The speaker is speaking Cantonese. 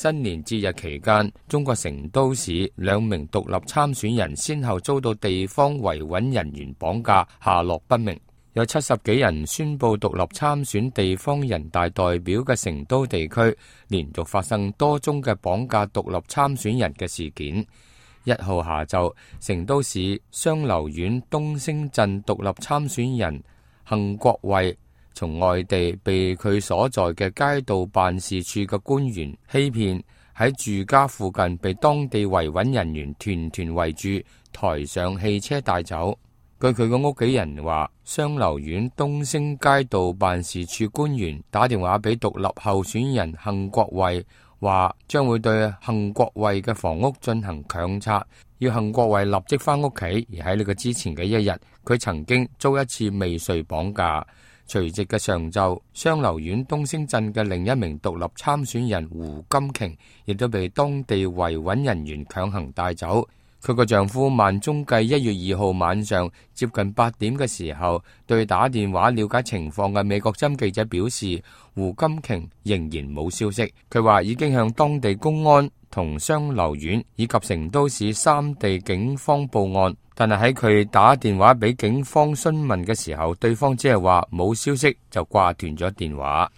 新年節日期間，中國成都市2名獨立參選人先後遭到地方維穩人員綁架，下落不明。有70幾人宣布獨立參選地方人大代表嘅成都地區，連續發生多宗嘅綁架獨立參選人嘅事件。1號下晝，成都市雙流縣東升鎮獨立參選人幸國衛從外地被佢所在嘅街道辦事處嘅官員欺騙，喺住家附近被當地維穩人員團團圍住，抬上汽車帶走。據佢嘅屋企人話，雙流縣東升街道辦事處官員打電話俾獨立候選人幸國衛，話將會對幸國衛嘅房屋進行強拆，要幸國衛立即返屋企。而喺呢個之前嘅一日，佢曾經遭一次未遂綁架。隨即嘅上晝，雙流縣東升鎮嘅另一名獨立參選人胡金瓊亦都被當地維穩人員強行帶走。佢個丈夫萬中繼1月2號晚上接近8點嘅時候，對打電話了解情況嘅美國針記者表示，胡金瓊仍然冇消息。佢話已經向當地公安同雙流縣以及成都市3地警方報案，但係喺佢打電話俾警方詢問嘅時候，對方只係話冇消息就掛斷咗電話。